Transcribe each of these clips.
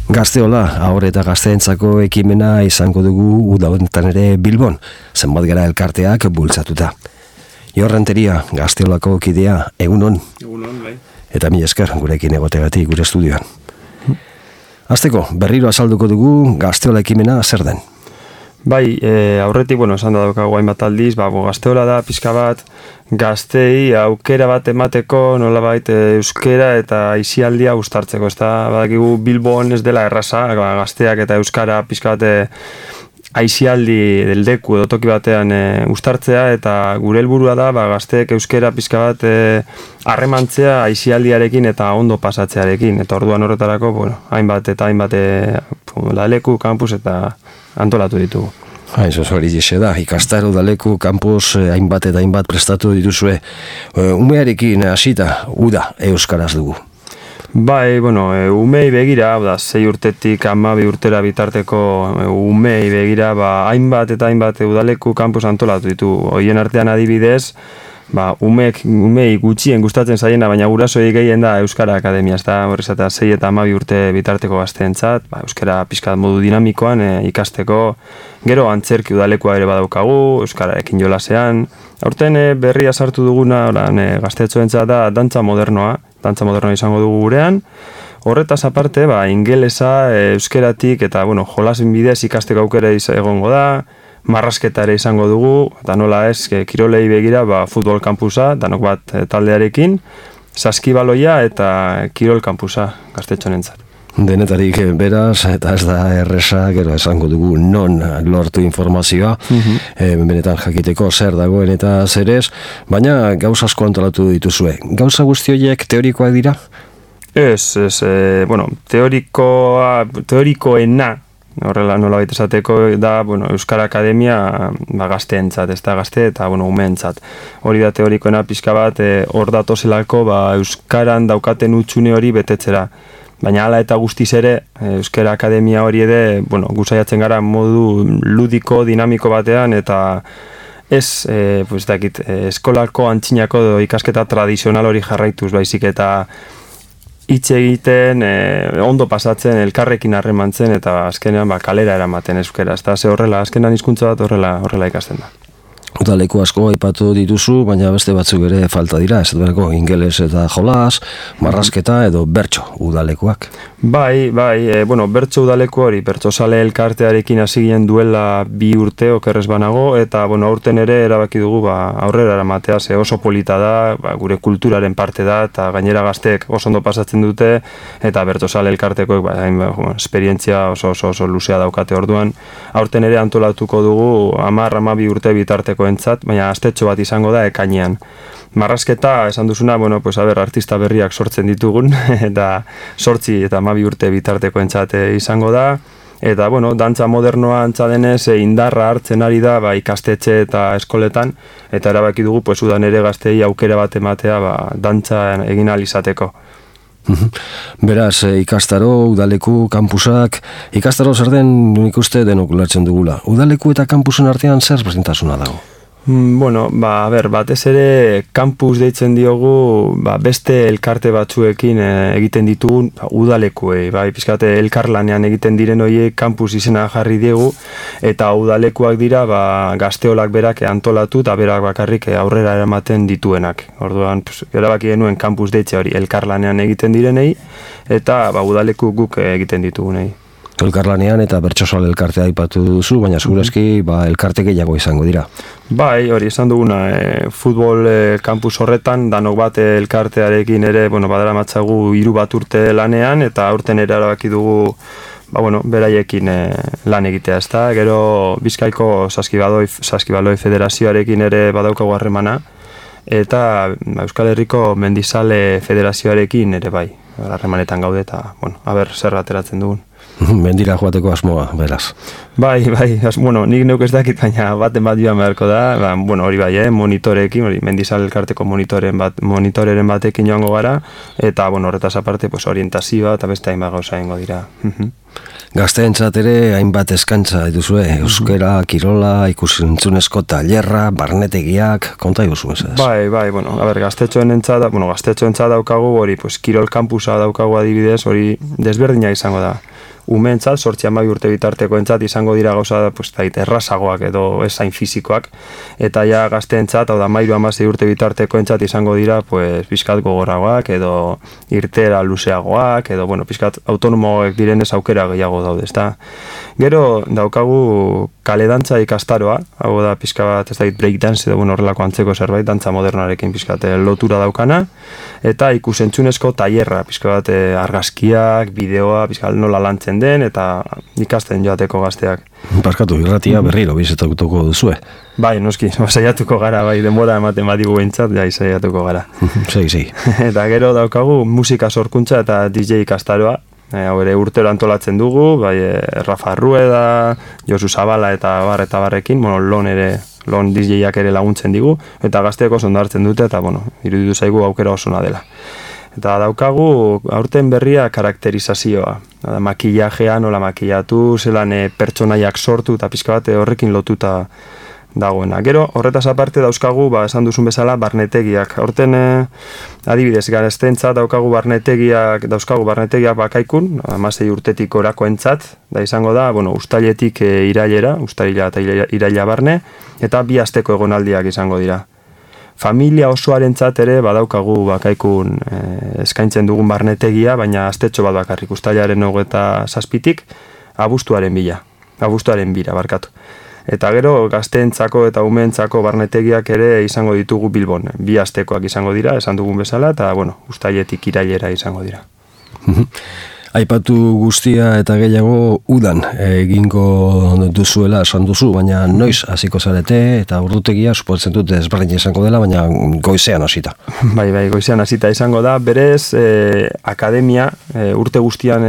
Gazteola, haur eta gazteentzako ekimena izango dugu uda honetan ere Bilbon, zenbat gara elkarteak bultzatuta. Jorrenteria, Gazteolako kidea, egunon. Egunon, bai. Eta mila esker gurekin egotegatik gure estudioan. Hasteko, berriro azalduko dugu Gazteola ekimena zer den. Bai, aurretik, esan da daukagu hainbat aldiz, Gazteola da pixka bat, gaztei aukera bat emateko nolabait euskera eta aisialdia uztartzeko. Ez da, badakigu Bilbon ez dela erraza, gazteak eta euskara pixka bat aisialdi deldeku edo toki batean uztartzea, eta gure helburua da gazteek euskera pixka bat harremantzea aisialdiarekin eta ondo pasatzearekin. Eta orduan horretarako, hainbat eta hainbat leku, kampus eta antolatu ditugu. Eso hori dixe da, ikastaro udaleku, kampus, hainbat eta hainbat prestatu dituzue. Umearekin hasita, uda euskaraz dugu. Bai, umei begira, 6 urtetik 12 urtera bitarteko umei begira, hainbat eta hainbat udaleku kampus antolatu ditu. Hoien artean adibidez, umei gutxien gustatzen zaiena, baina gurasoei gehien da Euskara Akademia, ez da, horrez eta 6 eta 12 urte bitarteko gazteentzat, Euskara pixkat modu dinamikoan ikasteko, gero antzerki udalekoa ere badaukagu, Euskararekin jolasean. Aurten berria sartu duguna, gaztetxoentzat da dantza modernoa izango dugu gurean. Horretaz aparte, ingelesa, euskeratik eta, jolasen bidez ikasteko aukera egongo da, marrasketa ere izango dugu, eta nola ez, kirolei begira, futbol kampusa, danok bat taldearekin, saskibaloia eta kirol kampusa gaztetxonentzat. Denetarik beraz, eta ez da erresa, gero esango dugu non lortu informazioa, benetan jakiteko zer dagoen eta zer ez, baina gauza asko antolatu dituzue. Gauza guzti horiek teorikoak dira? Ez, teorikoena, horrela nola baita esateko da, Euskara Akademia gazteentzat, ez da gazte eta umeentzat. Hori da teorikoena pixka bat, hor datozelako Euskaran daukaten utxune hori betetzera. Baina hala eta guztiz ere, Euskara Akademia hori ere, guzaiatzen gara modu ludiko, dinamiko batean, eta ez, eskolako antzinako ikasketa tradizional hori jarraituz, baizik eta hitz egiten, ondo pasatzen, elkarrekin harremantzen, eta azkenean kalera eramaten euskera. Ez da, ze horrela, azkenan hizkuntza bat horrela ikasten da. Udaleku asko aipatu dituzu, baina beste batzuk ere falta dira, ez duerako ingeles eta jolas, marrasketa edo bertso udalekuak. Bai, bertso udaleku hori, bertsozale elkartearekin hasi ginen duela 2 urte okerrez banago, eta aurten ere erabaki dugu aurrera eramatea, ze oso polita da, gure kulturaren parte da, eta gainera gazteek oso ondo pasatzen dute, eta bertsozale elkartekoek esperientzia oso luzea daukate orduan. Aurten ere antolatuko dugu 10-12 urte bitarteko entzat, baina astetxo bat izango da ekainean. Marrasketa, esan duzuna, artista berriak sortzen ditugun, eta 8 eta 12 urte bitarteko entzat izango da, eta, dantza modernoa antza denez, indarra hartzen ari da, ikastetxe eta eskoletan, eta erabaki dugu, udan ere gaztei aukera bat ematea, dantza egin ahal izateko. Beraz, ikastaro, udaleku, kampusak, ikastaro zer den nik uste denok ulertzen dugula. Udaleku eta kampusen artean zer berdintasuna dago? Batez ere kampus deitzen diogu beste elkarte batzuekin egiten ditugun udalekuei, pizkate elkarlanean egiten diren horiek kampus izena jarri diegu, eta udalekuak dira gazteolak berak antolatu eta berak bakarrik aurrera eramaten dituenak. Orduan, erabaki genuen kampus deitze hori elkarlanean egiten direnei, eta udaleku guk egiten ditugunei. Elkarlanean eta bertsozale elkartea aipatu duzu, baina segurazki elkarte gehiago izango dira. Bai, hori esan duguna, futbol kampus horretan, danok bat elkartearekin ere, badara matzagu 3 bat urte lanean, eta aurten ere erabaki dugu, beraiekin lan egitea, ez da. Gero Bizkaiko Saskibaloi Federazioarekin ere badaukagu harremana, eta Euskal Herriko Mendizale Federazioarekin ere harremanetan gaude, eta, zer ateratzen dugun. Mendira joateko asmoa, beraz. Bai, nik neuk ez dakit, baina baten bat joan beharko da, hori monitorekin, Mendizal elkarteko monitoreren batekin joango gara, eta horretaz aparte orientazioa eta beste hainbat gauza egingo dira. Gazteentzat ere hainbat eskaintza dituzue, euskera, kirola, ikusentzunezko tailerra, barnetegiak, konta iguzu ez? Bai, bueno, gaztetxoentzat daukagu hori, pues, kirol kampusa daukagu adibidez, hori desberdina izango da. Umeentzat, 8-12 urte bitartekoentzat izango dira gauza, pues, errazagoak edo ezain fizikoak, eta ja gazteentzat, hau da 13-16 urte bitartekoentzat izango dira, pues, pizkat gogorragoak edo irtera luzeagoak, edo, bueno, pizkat autonomoak direnez aukera gehiago daude, ezta. Gero daukagu kaledantza ikastaroa, hau da pizka bat, ez dakit breakdance edo, bueno, horrelako antzeko zerbait, dantza modernarekin pizkat lotura daukana, eta ikusentzunezko tailerra, pizka bat argazkiak, bideoa, pizkat nola lantzen den, eta ikasten joateko gazteak. Barkatu, irratia berriro bizetatuko duzue. Bai, noski, saiatuko gara, bai, denbora ematen badigu behintzat, jai, saiatuko gara. Sei. Eta gero daukagu musika sorkuntza eta DJ ikastaroa, hau ere urtero antolatzen dugu, bai, Rafa Rueda, Josu Zabala eta barrekin, bueno, lon DJ-ak ere laguntzen digu, eta gazteek oso ondo hartzen dute, eta, bueno, iruditu zaigu aukera osona dela. Eta daukagu aurten berria karakterizazioa. Makillajea, nola makillatu, zelan pertsonaiak sortu eta pizka bat horrekin lotuta dagoena. Gero, horretaz aparte dauzkagu, esan duzun bezala, barnetegiak. Horten, adibidez, gazteentzat dauzkagu barnetegiak bakaikun, 16 urtetik orakoentzat, da izango da, bueno, uztailetik irailera, uztaila eta iraila barne, eta 2 asteko egonaldiak izango dira. Familia osoarentzat ere badaukagu bakaikun eskaintzen dugun barnetegia, baina astetxo bat bakarrik, uztailaren 27tik abuztuaren bira, barkatu. Eta gero gazteentzako eta umeentzako barnetegiak ere izango ditugu Bilbon. 2 astekoak izango dira, esan dugun bezala, eta bueno, uztailetik irailera izango dira. Aipatu guztia eta gehiago udan egingo duzuela esan duzu, baina noiz hasiko zarete eta ordutegia suposatzen dut ezberdin izango dela, baina goizean hasita. Bai, goizean hasita izango da, berez akademia urte guztian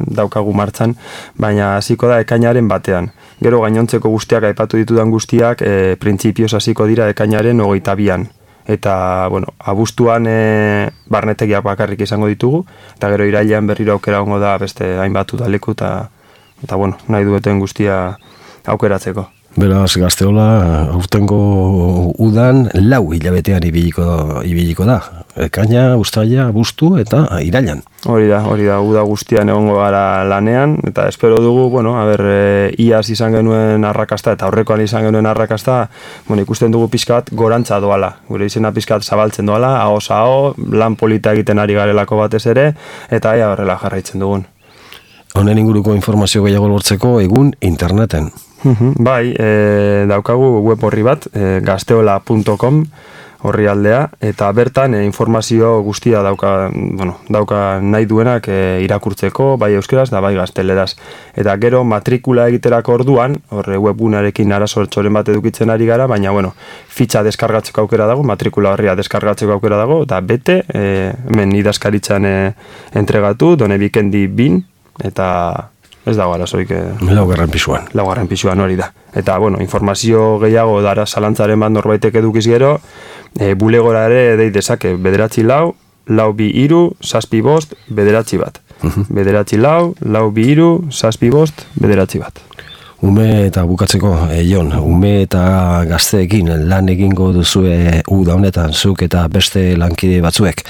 daukagu martxan, baina hasiko da ekainaren batean. Gero gainontzeko guztiak aipatu ditudan guztiak printzipioz hasiko dira ekainaren 22an. Eta, bueno, abuztuan barnetegiak bakarrik izango ditugu, eta gero irailean berriro aukera hongo da beste hainbat udaleku, eta bueno, nahi dueten guztia aukeratzeko. Beraz, Gazteola, aurtengo udan 4 hilabetean ibiliko da. Ekaina, uztaila, abuztu eta irailan. Hori da, uda guztian egongo gara lanean, eta espero dugu, bueno, iaz izan genuen arrakasta, eta aurrekoan izan genuen arrakasta, bueno, ikusten dugu pizkat gorantza doala. Gure izena pizkat zabaltzen doala, ahoz-aho, lan polita egiten ari garelako batez ere, eta horrela jarraitzen dugun. Honen inguruko informazio gehiago lortzeko egun interneten. Bai, daukagu web horri bat, gazteola.com horri aldea, eta bertan informazio guztia dauka nahi duenak irakurtzeko, bai euskeraz da bai gazteleraz. Eta gero matrikula egiterako orduan, horre webgunarekin arazoren bat edukitzen ari gara, baina fitxa deskargatzeko aukera dago, matrikula horria deskargatzeko aukera dago, eta bete, hemen idazkaritzan entregatu, done bikendi bin, eta ez dago arazoik. Laugarren pisuan hori da. Eta, informazio gehiago dara zalantzaren bat norbaitek edukiz gero, bulegora ere dei dezake, 9-4-4-2-3-7-5-9-1. 9-4-4-2-3-7-5-9-1. Ume eta bukatzeko, Jon, ume eta gazteekin lan egingo duzue uda honetan zuk eta beste lankide batzuek.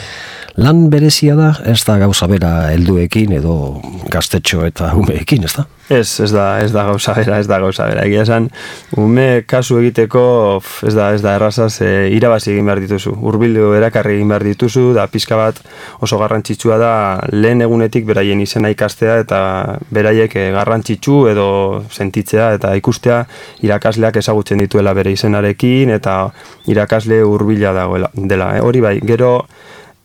Lan berezia da, ez da gauza bera helduekin edo gaztetxo eta umeekin, ez da? Ez da gauza bera. Egia esan, ume kasu egiteko ez da errazaz irabazi egin behar dituzu. Hurbildu erakarri egin behar dituzu, da pizka bat oso garrantzitsua da lehen egunetik beraien izena ikastea eta beraiek garrantzitsu edo sentitzea eta ikustea irakasleak ezagutzen dituela bere izenarekin eta irakasle hurbila dela. Hori bai, gero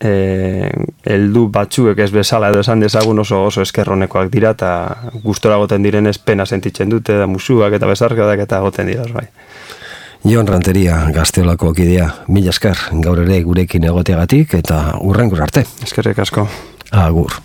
heldu batzuek ez bezala edo esan dezagun oso eskerronekoak dira eta gustora goten direnez pena sentitzen dute da musuak eta bezarkadak eta goten dira bai. Jon Ranteria, Gazteolako kidea, mila esker gaur ere gurekin egoteagatik eta hurrengo arte. Eskerrik asko. Agur.